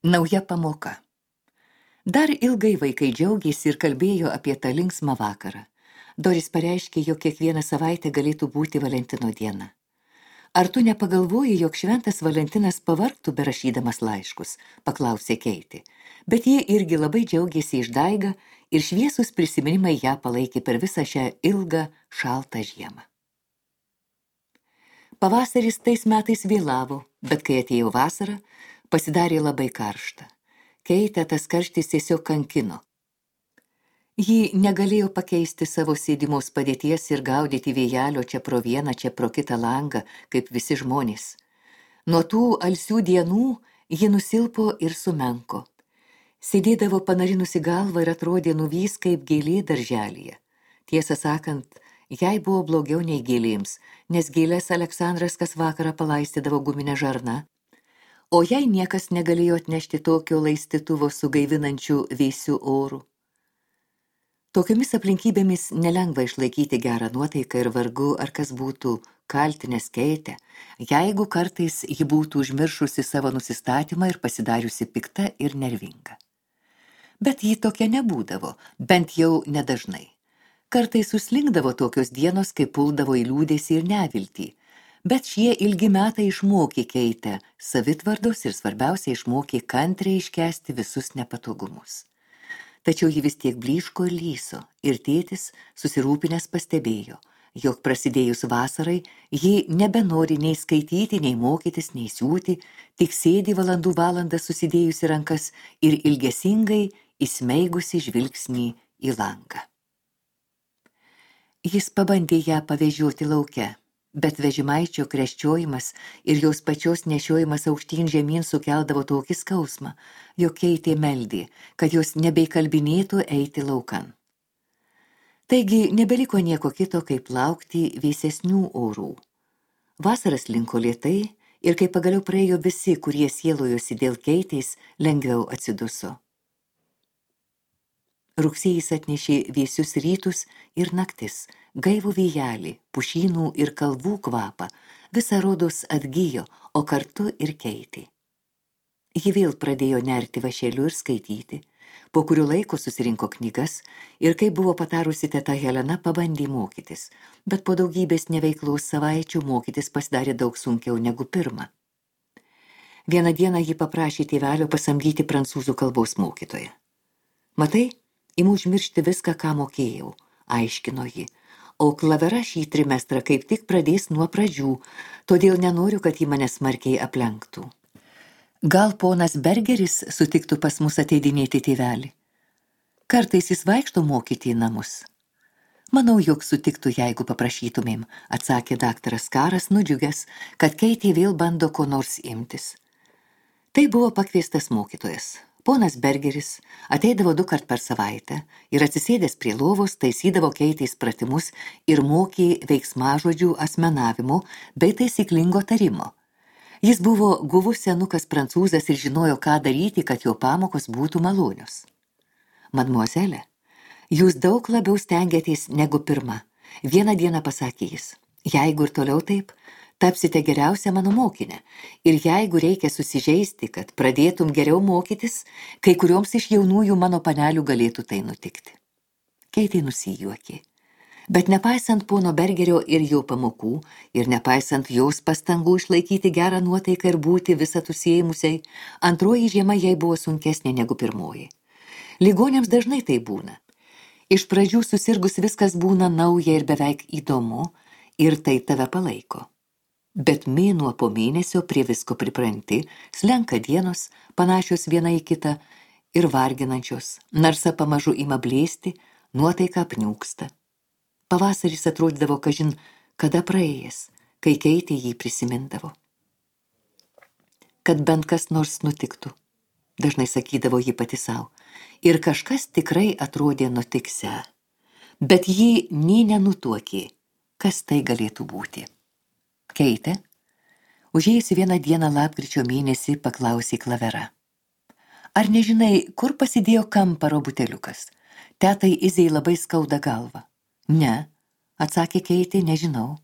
Nauja pamoka. Dar ilgai vaikai džiaugėsi ir kalbėjo apie tą linksmą vakarą. Doris pareiškė, jog kiekvieną savaitę galėtų būti Valentino diena. Ar tu nepagalvoji, jog šventas Valentinas pavargtų berašydamas laiškus, paklausė Keitė. Bet jie irgi labai džiaugėsi išdaiga ir šviesus prisiminimai ją palaikė per visą šią ilgą, šaltą žiemą. Pavasaris tais metais vėlavo, bet kai atėjo vasara, pasidarė labai karšta. Keitę tas karštis tiesiog kankino. Ji negalėjo pakeisti savo sėdimos padėties ir gaudyti vėjelio čia pro vieną, čia pro kitą langą, kaip visi žmonės. Nuo tų alsių dienų ji nusilpo ir sumenko. Sėdėdavo panarinusi galvą ir atrodė nuvys kaip gėlė darželyje. Tiesą sakant, jai buvo blogiau nei gėlėms, nes gėlės Aleksandras kas vakarą palaistydavo guminę žarną, o jai niekas negalėjo atnešti tokio laistytuvo su gaivinančiu vėsiu oru. Tokiomis aplinkybėmis nelengva išlaikyti gerą nuotaiką ir vargu, ar kas būtų kaltinęs Keitę, jeigu kartais ji būtų užmiršusi savo nusistatymą ir pasidariusi pikta ir nervinga. Bet ji tokia nebūdavo, bent jau nedažnai. Kartais suslinkdavo tokios dienos, kai puldavo į liūdesį ir neviltį, bet šie ilgi metai išmokė Keitę savitvardos ir svarbiausia išmokė kantriai iškęsti visus nepatogumus. Tačiau ji vis tiek blyško ir lyso, ir tėtis susirūpinęs pastebėjo, jog prasidėjus vasarai ji nebenori nei skaityti, nei mokytis, nei siūti, tik sėdi valandų valandą susidėjusi rankas ir ilgesingai įsmeigusi žvilgsnį į langą. Jis pabandė ją pavežioti lauke, bet vežimaičio kreščiojimas ir jos pačios nešiojimas aukštyn žemyn sukeldavo tokį skausmą, jog Keitė meldė, kad jos nebeikalbinėtų eiti laukan. Taigi nebeliko nieko kito, kaip laukti vėsesnių orų. Vasaras linko lėtai ir kai pagaliau praėjo visi, kurie sielojosi dėl Keitės, lengviau atsiduso. Rugsėjis atnešė vėsius rytus ir naktis, gaivų vėjelį, pušynų ir kalvų kvapą, visa rodos atgijo, o kartu ir Keitė. Ji vėl pradėjo nerti vašeliu ir skaityti, po kurio laiko susirinko knygas ir, kai buvo patarusi teta Helena, pabandė mokytis, bet po daugybės neveiklaus savaičių mokytis pasidarė daug sunkiau negu pirma. Vieną dieną ji paprašė tėvelio pasamdyti prancūzų kalbos mokytoją. Matai, imu užmiršti viską, ką mokėjau, aiškino ji, o Klavera šį trimestrą kaip tik pradės nuo pradžių, todėl nenoriu, kad ji mane smarkiai aplenktų. Gal ponas Bergeris sutiktų pas mus ateidinėti tėvelį? Kartais jis vaikšto mokyti į namus. Manau, jog sutiktų, jeigu paprašytumėm, atsakė daktaras Karas, nudžiugęs, kad Keitė vėl bando ko nors imtis. Tai buvo pakviestas mokytojas. Ponas Bergeris ateidavo 2 kart per savaitę ir atsisėdęs prie lovos taisydavo Keitės pratimus ir mokė veiksmažodžių asmenavimo bei taisyklingo tarimo. Jis buvo guvus senukas prancūzas ir žinojo, ką daryti, kad jo pamokos būtų malonios. Mademoiselle, jūs daug labiau stengiatės negu pirma, vieną dieną pasakė jis. Jeigu ir toliau taip, tapsite geriausia mano mokinė. Ir jeigu reikia susižeisti, kad pradėtum geriau mokytis, kai kurioms iš jaunųjų mano panelių galėtų tai nutikti. Keitė nusijuokė. Bet nepaisant pono Bergerio ir jo pamokų, ir nepaisant jos pastangų išlaikyti gerą nuotaiką ir būti visat užsiėmusiai, antroji žiema jai buvo sunkesnė negu pirmoji. Ligoniams dažnai tai būna. Iš pradžių susirgus viskas būna nauja ir beveik įdomu, ir tai tave palaiko. Bet mėnuo po mėnesio prie visko pripranti, slenka dienos, panašios viena į kitą ir varginančios, narsa pamažu ima blėsti, nuotaika apniūksta. Pavasaris atrodydavo kažin kada praėjęs, kai Keitė jį prisimindavo. Kad bent kas nors nutiktų, dažnai sakydavo ji pati sau, ir kažkas tikrai atrodė nutiksią, bet ji nė nenutuokė, kas tai galėtų būti. Keitė, užėjusi vieną dieną lapkričio mėnesį, paklausė Klavera. Ar nežinai, kur pasidėjo kamparo buteliukas? Tetai Izei labai skauda galvą. Ne, atsakė Keitė, nežinau.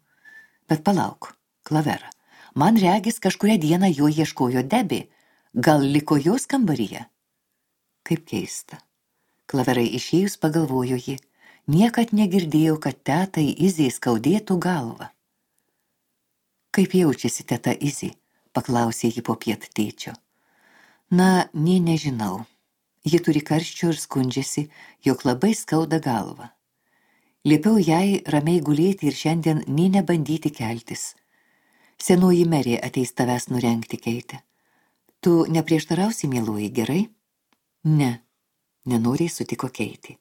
Bet palauk, Klavera, man regis kažkurią dieną jo ieškojo Debė. Gal liko jos kambaryje? Kaip keista. Klaverai išėjus pagalvojo ji. Niekad negirdėjau, kad tetai Izei skaudėtų galvą. Kaip jaučiasi teta Izė? Paklausė ji popiet tėčio. Na, nežinau. Ji turi karščio ir skundžiasi, jog labai skauda galvą. Liepiau jai ramiai gulėti ir šiandien nebandyti keltis. Senoji merė ateis tavęs nurengti, Keitė. Tu neprieštarausi, mieloji, gerai? Ne, nenoriai sutiko Keitė.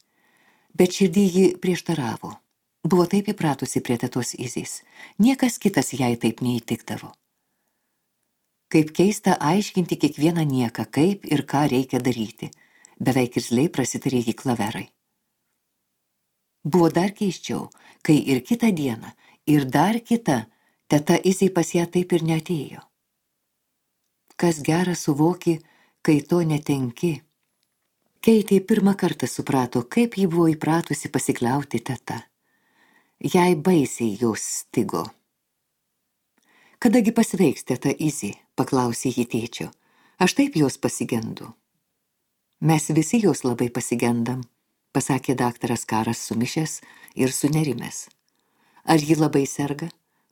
Bet širdį ji prieštaravo. Buvo taip įpratusi prie tetos Izės. Niekas kitas jai taip neįtikdavo. Kaip keista aiškinti kiekvieną nieką, kaip ir ką reikia daryti. Beveik irzliai prasitarė jį Klaverai. Buvo dar keisčiau, kai ir kitą dieną, ir dar kitą, teta Izė pas ją taip ir neatėjo. Kas gera suvoki, kai to netenki. Keitė pirmą kartą suprato, kaip ji buvo įpratusi pasikliauti teta. Jai baisiai jos stigo. Kadagi pasveiks teta Izė, paklausė ji tėčio. Aš taip jos pasigendu. Mes visi jos labai pasigendam, pasakė daktaras Karas sumišęs ir sunerimęs. Ar ji labai serga?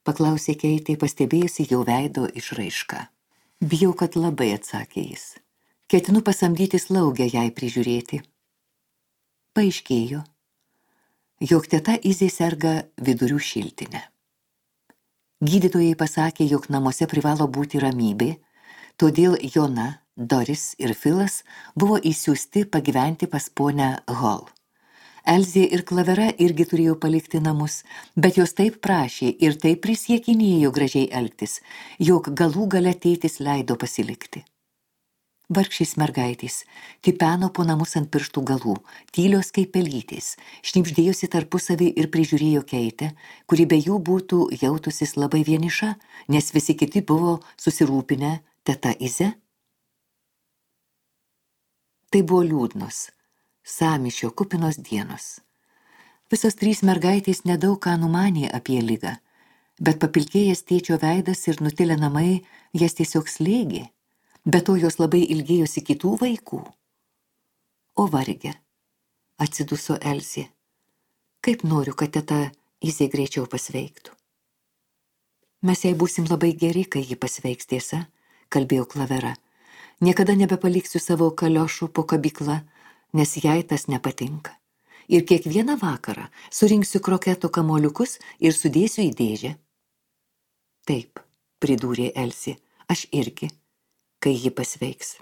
Paklausė Keitė, pastebėjusi jo veido išraišką. Bijau, kad labai, atsakė jis. Ketinu pasamdyti slaugę jai prižiūrėti. Paaiškėjo, jog teta Izė serga vidurių šiltinę. Gydytojai pasakė, jog namuose privalo būti ramybė, todėl Jona, Doris ir Filas buvo įsiųsti pagyventi pas ponę Hall. Elzė ir Klavera irgi turėjo palikti namus, bet jos taip prašė ir taip prisiekinėjo gražiai elgtis, jog galų gale tėtis leido pasilikti. Vargšės mergaitės tipeno po namus ant pirštų galų, tylios kaip pelytės, šnibždėjosi tarpusavį ir prižiūrėjo Keitę, kuri be jų būtų jautusis labai vieniša, nes visi kiti buvo susirūpinę teta Ize. Tai buvo liūdnos, sąmyšio kupinos dienos. Visos trys mergaitės nedaug ką numanė apie ligą, bet papilkėjęs tėčio veidas ir nutilę namai jas tiesiog slėgė. Be to jos labai ilgėjosi kitų vaikų. O varge, atsiduso Elzė. Kaip noriu, kad teta Izė greičiau pasveiktų. Mes jai būsim labai geri, kai ji pasveiks, tiesa, kalbėjo Klavera. Niekada nebepaliksiu savo kaliošų po kabyklą, nes jai tas nepatinka. Ir kiekvieną vakarą surinksiu kroketo kamoliukus ir sudėsiu į dėžę. Taip, pridūrė Elzė, aš irgi, kai ji pasveiks.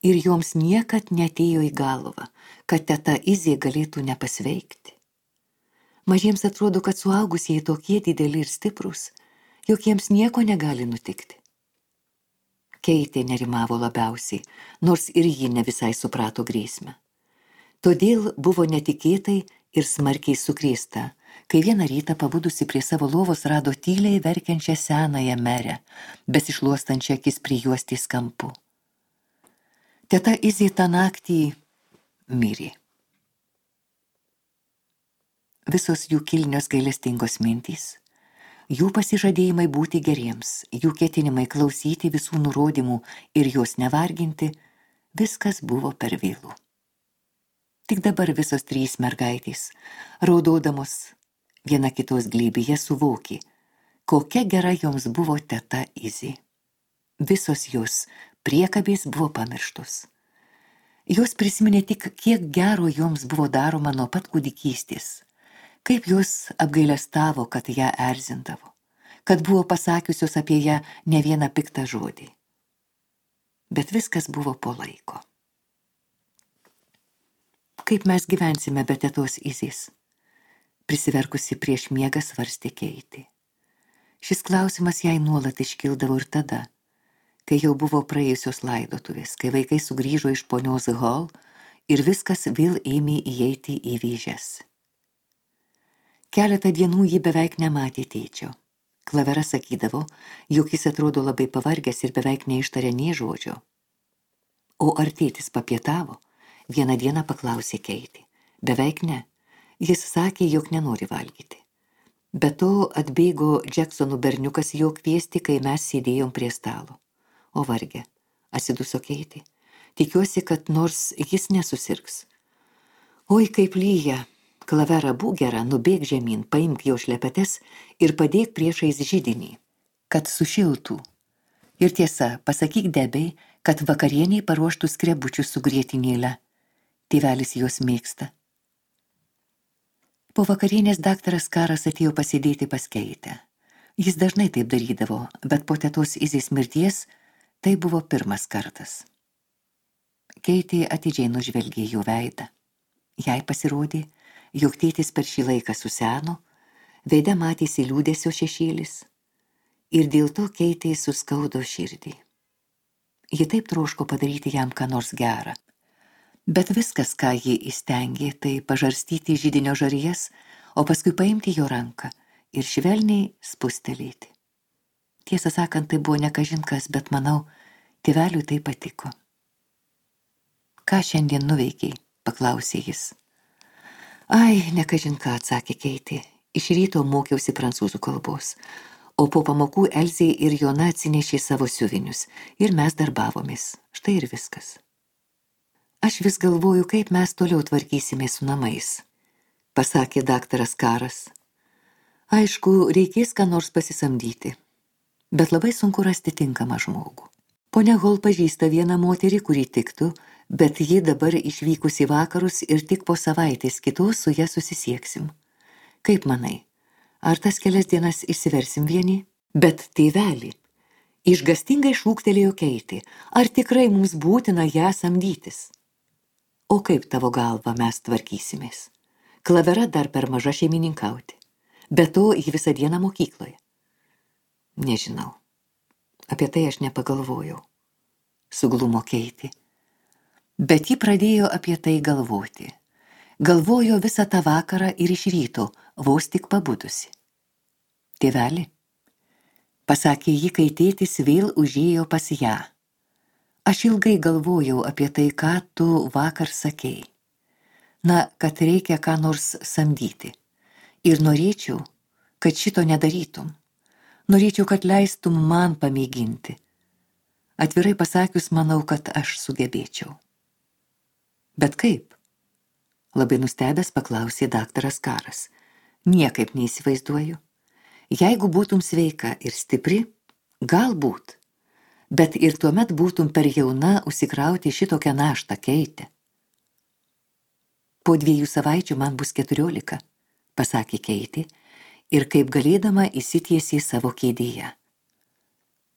Ir joms niekad neatėjo į galvą, kad teta Izė galėtų nepasveikti. Mažiems atrodo, kad suaugusieji tokie dideli ir stiprus, jog jiems nieko negali nutikti. Keitė nerimavo labiausiai, nors ir ji ne visai suprato grėsmę. Todėl buvo netikėtai ir smarkiai sukrėsta, kai vieną rytą pabudusi prie savo lovos rado tyliai verkiančią senąją merę, besišluostančią akis prijuostės kampu. Teta Izė tą naktį mirė. Visos jų kilnios gailestingos mintys, jų pasižadėjimai būti geriems, jų ketinimai klausyti visų nurodymų ir juos nevarginti, viskas buvo per vėlu. Tik dabar visos trys mergaitės, raudodamos viena kitos glėbyje, suvokė, kokia gera joms buvo teta Izė. Visos jos priekabės buvo pamirštos. Jos prisiminė tik, kiek gero joms buvo daroma nuo pat kūdikystės, kaip jos apgailestavo, kad ją erzindavo, kad buvo pasakiusios apie ją ne vieną piktą žodį. Bet viskas buvo po laiko. Kaip mes gyvensime be tetos Izės? Prisiverkusi prieš miegą svarstė Keitė. Šis klausimas jai nuolat iškildavo ir tada, kai jau buvo praėjusios laidotuvės, kai vaikai sugrįžo iš ponios Hall ir viskas vėl ėmė įeiti į vėžes. Keletą dienų ji beveik nematė tėčio. Klavera sakydavo, jog jis atrodo labai pavargęs ir beveik neištarė nė žodžio. O ar tėtis papietavo? Vieną dieną paklausė Keitė. Beveik ne. Jis sakė, jog nenori valgyti. Be to atbėgo Džeksonų berniukas jo kviesti, kai mes sėdėjom prie stalo. O varge, Atsiduso Keitė. Tikiuosi, kad nors jis nesusirgs. Oi, kaip lyja. Klavera, būk gera, nubėk žemyn, paimk jo šlepetes ir padėk priešais židinį, kad sušiltų. Ir tiesa, pasakyk Debei, kad vakarieniai paruoštų skrebučius su grietinėle. Tėvelis juos mėgsta. Po vakarienės daktaras Karas atėjo pasėdėti pas Keitę. Jis dažnai taip darydavo, bet po tetos Izės mirties tai buvo pirmas kartas. Keitė atidžiai nužvelgė jo veidą. Jai pasirodė, jog tėtis per šį laiką suseno, veide matėsi liūdesio šešėlis ir dėl to Keitė suskaudo širdį. Ji taip troško padaryti jam ką nors gerą. Bet viskas, ką ji įstengė, tai pažarstyti židinio žarijas, o paskui paimti jo ranką ir švelniai spustelėti. Tiesą sakant, tai buvo ne kažin kas, bet manau, tėveliui tai patiko. Ką šiandien nuveikiai? Paklausė jis. Ai, ne kažin ką, atsakė Keitė. Iš ryto mokiausi prancūzų kalbos, o po pamokų Elzė ir Jona atsinešė savo siuvinius ir mes darbavomės. Štai ir viskas. Aš vis galvoju, kaip mes toliau tvarkysimės su namais, pasakė daktaras Karas. Aišku, reikės ką nors pasisamdyti, bet labai sunku rasti tinkamą žmogų. Ponia Hol pažįsta vieną moterį, kuri tiktų, bet ji dabar išvykus į vakarus ir tik po savaitės kitos su ja susisieksim. Kaip manai, ar tas kelias dienas išsiversim vieni? Bet tėveli, išgastingai šūktelėjo Keitė, ar tikrai mums būtina ją samdytis? O kaip tavo galva mes tvarkysimės? Klavera dar per maža šeimininkauti. Be to, ji visą dieną mokykloje. Nežinau. Apie tai aš nepagalvojau. Suglumo Keitė. Bet ji pradėjo apie tai galvoti. Galvojo visą tą vakarą ir iš ryto, vos tik pabudusi. Tėveli, pasakė ji, kai tėtis vėl užėjo pas ją. Aš ilgai galvojau apie tai, ką tu vakar sakei. Na, kad reikia ką nors samdyti. Ir norėčiau, kad šito nedarytum. Norėčiau, kad leistum man pamėginti. Atvirai pasakius, manau, kad aš sugebėčiau. Bet kaip? Labai nustebęs paklausė daktaras Karas. Niekaip neįsivaizduoju. Jeigu būtum sveika ir stipri, galbūt. Bet ir tuomet būtum per jauna užsikrauti šitokią naštą, Keitė. Po 2 savaičių man bus 14, pasakė Keitė, ir kaip galėdama įsitiesė savo kėdėje.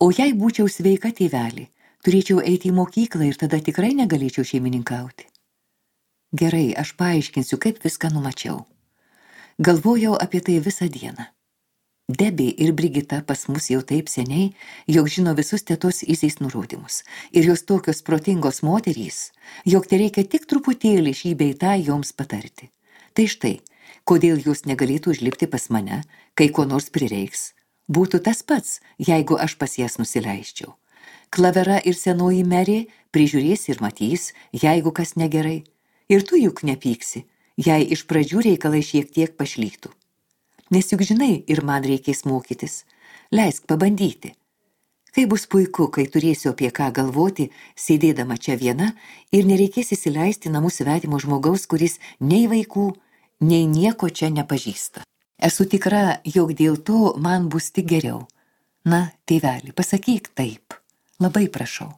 O jei būčiau sveika, tėveli, turėčiau eiti į mokyklą ir tada tikrai negalėčiau šeimininkauti. Gerai, aš paaiškinsiu, kaip viską numačiau. Galvojau apie tai visą dieną. Debė ir Brigita pas mus jau taip seniai, jog žino visus tetos Izės nurodymus. Ir jos tokios protingos moterys, jog tereikia tik truputėlį šį bei tą joms patarti. Tai štai, kodėl jūs negalėtų užlipti pas mane, kai ko nors prireiks. Būtų tas pats, jeigu aš pas jas nusileisčiau. Klavera ir senoji Merė prižiūrės ir matys, jeigu kas negerai. Ir tu juk nepyksi, jei iš pradžių reikalai šiek tiek pašlytų. Nes juk žinai, ir man reikės mokytis. Leisk pabandyti. Kai bus puiku, kai turėsiu apie ką galvoti, sėdėdama čia viena ir nereikės įsileisti namų svetimo žmogaus, kuris nei vaikų, nei nieko čia nepažįsta. Esu tikra, jog dėl to man bus tik geriau. Na, tėveli, pasakyk taip. Labai prašau.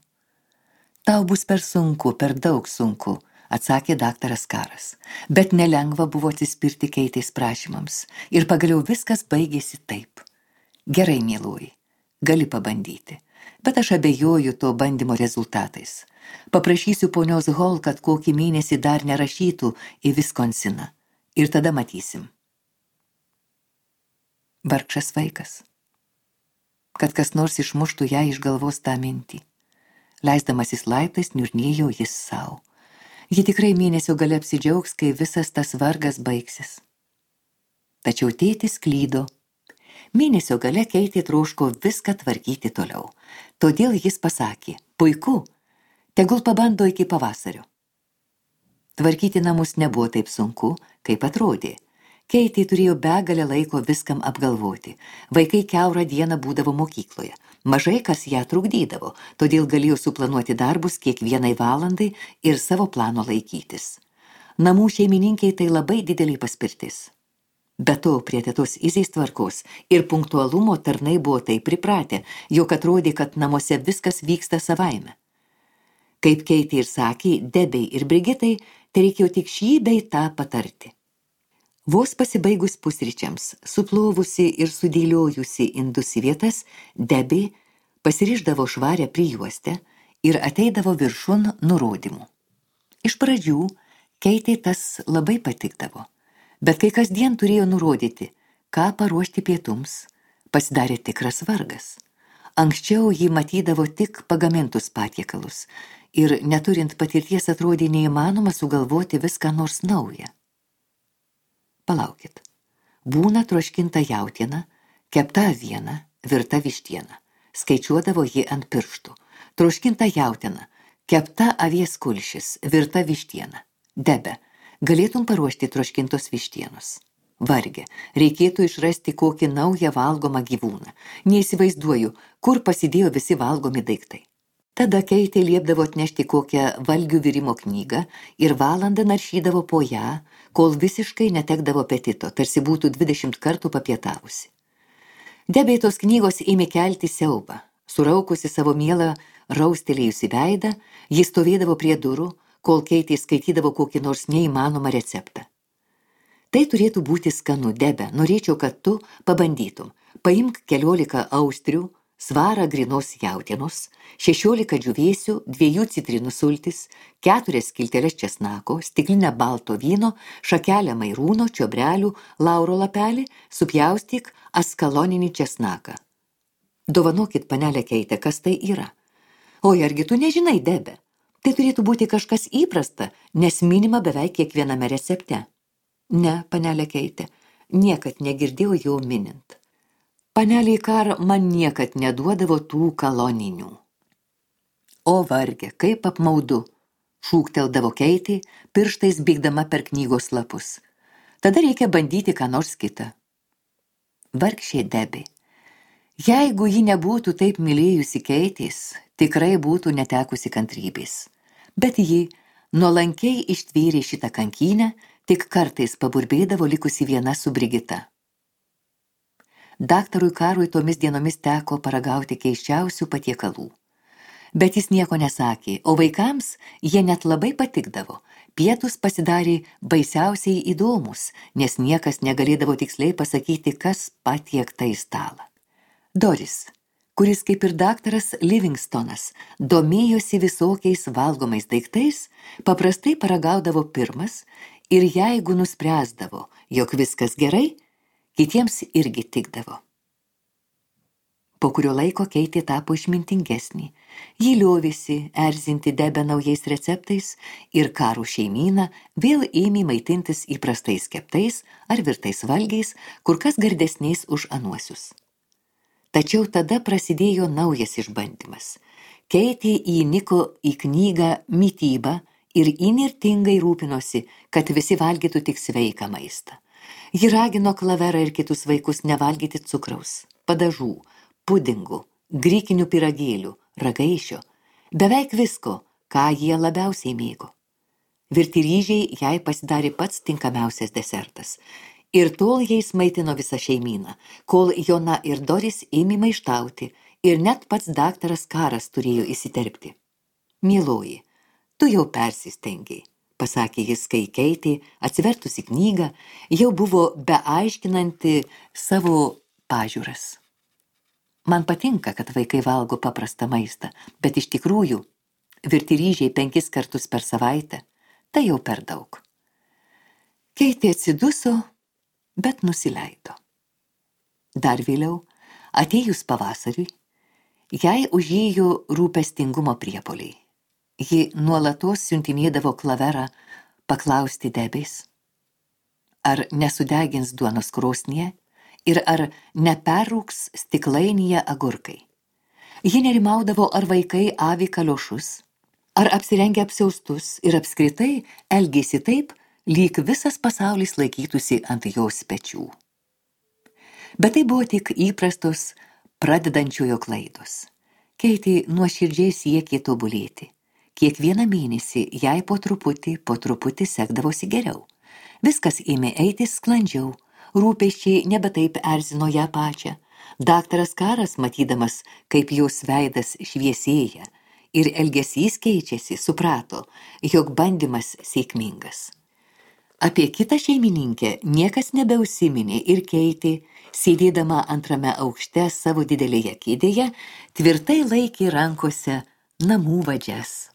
Tau bus per sunku, per daug sunku, atsakė daktaras Karas. Bet nelengva buvo atsispirti Keitės prašymams. Ir pagaliau viskas baigėsi taip. Gerai, mieloji, gali pabandyti. Bet aš abejoju to bandymo rezultatais. Paprašysiu ponios Hol, kad kokį mėnesį dar nerašytų į Viskonsiną. Ir tada matysim. Vargšas vaikas. Kad kas nors išmuštų ją iš galvos tą mintį. Leisdamasis laiptais niurnėjo jis savo. Ji tikrai mėnesio gale apsidžiaugs, kai visas tas vargas baigsis. Tačiau tėtis klydo. Mėnesio gale Keitė troško viską tvarkyti toliau. Todėl jis pasakė, puiku, tegul pabando iki pavasario. Tvarkyti namus nebuvo taip sunku, kaip atrodė. Keitė turėjo begalę laiko viskam apgalvoti. Vaikai kiaurą dieną būdavo mokykloje. Mažai kas ją trukdydavo, todėl galėjo suplanuoti darbus kiekvienai valandai ir savo plano laikytis. Namų šeimininkiai tai labai didelė paspirtis. Be to, prie tetos Izės tvarkos ir punktualumo tarnai buvo taip pripratę, jog atrodė, kad namuose viskas vyksta savaime. Kaip Keitė ir sakė, Debei ir Brigitai, tai reikėjo tik šį bei tą patarti. Vos pasibaigus pusryčiams, suplovusi ir sudėliojusi indus į vietas, Debė pasirišdavo švarę prijuostę ir ateidavo viršun nurodymų. Iš pradžių Keitė tas labai patikdavo, bet kai kasdien turėjo nurodyti, ką paruošti pietums, pasidarė tikras vargas. Anksčiau jį matydavo tik pagamintus patiekalus ir neturint patirties atrodė neįmanoma sugalvoti viską nors naują. Palaukit. Būna troškinta jautiena, kepta aviena, virta vištiena. Skaičiuodavo ji ant pirštų. Troškinta jautiena, kepta avies kulšis, virta vištiena. Debe, galėtum paruošti troškintos vištienos. Varge, reikėtų išrasti kokį naują valgomą gyvūną. Neįsivaizduoju, kur pasidėjo visi valgomi daiktai. Tada Keitė liepdavo atnešti kokią valgių virimo knygą ir valandą naršydavo po ją, kol visiškai netekdavo apetito, tarsi būtų 20 kartų papietavusi. Debei tos knygos ėmė kelti siaubą. Suraukusi savo mielą raustelėjusi veidą, jis stovėdavo prie durų, kol Keitė skaitydavo kokį nors neįmanomą receptą. Tai turėtų būti skanu, Debe, norėčiau, kad tu pabandytum. Paimk 14 austrių, svarą grinos jautienos, 16 džiūvėsių, 2 citrinų sultis, 4 skilteles česnako, stiklinę balto vyno, šakelę mairūno, čiobrelių, lauro lapelį, supjaustyk askaloninį česnaką. Dovanokit, panelė Keitė, kas tai yra? Oi, argi tu nežinai, Debe? Tai turėtų būti kažkas įprasta, nes minima beveik kiekviename recepte. Ne, panelė Keitė, niekad negirdėjau jo minint. Panelė Kar man niekad neduodavo tų kaloninių. O varge, kaip apmaudu, šūkteldavo Keitė, pirštais bėgdama per knygos lapus. Tada reikia bandyti ką nors kitą. Vargšė Debė. Jeigu ji nebūtų taip mylėjusi Keitės, tikrai būtų netekusi kantrybės. Bet ji nuolankiai ištvėrė šitą kankynę, tik kartais paburbėdavo likusi viena su Brigita. Daktarui Karui tomis dienomis teko paragauti keisčiausių patiekalų. Bet jis nieko nesakė, o vaikams jie net labai patikdavo. Pietus pasidarė baisiausiai įdomus, nes niekas negalėdavo tiksliai pasakyti, kas patiekta į stalą. Doris, kuris kaip ir daktaras Livingstonas domėjosi visokiais valgomais daiktais, paprastai paragaudavo pirmas ir jeigu nuspręsdavo, jog viskas gerai, kitiems irgi tikdavo. Po kurio laiko Keitė tapo išmintingesnė. Ji liovėsi erzinti Debę naujais receptais ir Karų šeimyną vėl ėmė maitintis įprastais keptais ar virtais valgiais, kur kas gardesniais už anuosius. Tačiau tada prasidėjo naujas išbandymas. Keitė įniko į knygą Mityba ir įnirtingai rūpinosi, kad visi valgytų tik sveiką maistą. Ji ragino Klaverą ir kitus vaikus nevalgyti cukraus, padažų, pudingų, grikinių pyragėlių, ragaišio, beveik visko, ką jie labiausiai mėgo. Virti ryžiai jai pasidarė pats tinkamiausias desertas. Ir tol jais maitino visą šeimyną, kol Jona ir Doris ėmė maištauti ir net pats daktaras Karas turėjo įsiterpti. Mieloji, tu jau persistengiai, pasakė jis, kai Keitė, atsivertusi knygą, jau buvo beaiškinanti savo pažiūras. Man patinka, kad vaikai valgo paprastą maistą, bet iš tikrųjų, virti ryžiai 5 kartus per savaitę, tai jau per daug. Keitė atsiduso, bet nusileido. Dar vėliau, atėjus pavasariui, jai užėjo rūpestingumo priepuoliai. Ji nuolatos siuntinėdavo Klaverą paklausti Debės, ar nesudegins duonos krosnyje ir ar neperrūks stiklainyje agurkai. Ji nerimaudavo, ar vaikai avi kaliošus, ar apsirengia apsiaustus ir apskritai elgėsi taip, lyg visas pasaulis laikytųsi ant jos pečių. Bet tai buvo tik įprastos Pradedančiojo klaidos. Keitė nuoširdžiai siekė tobulėti. Kiekvieną mėnesį jai po truputį sekdavosi geriau. Viskas ėmė eiti sklandžiau, rūpesčiai nebe taip erzino ją pačią. Daktaras Karas, matydamas, kaip jos veidas šviesėja ir elgesys keičiasi, suprato, jog bandymas sėkmingas. Apie kitą šeimininkę niekas nebeusiminė ir Keitė, sėdėdama antrame aukšte savo didelėje kėdėje, tvirtai laikė rankose namų vadžias.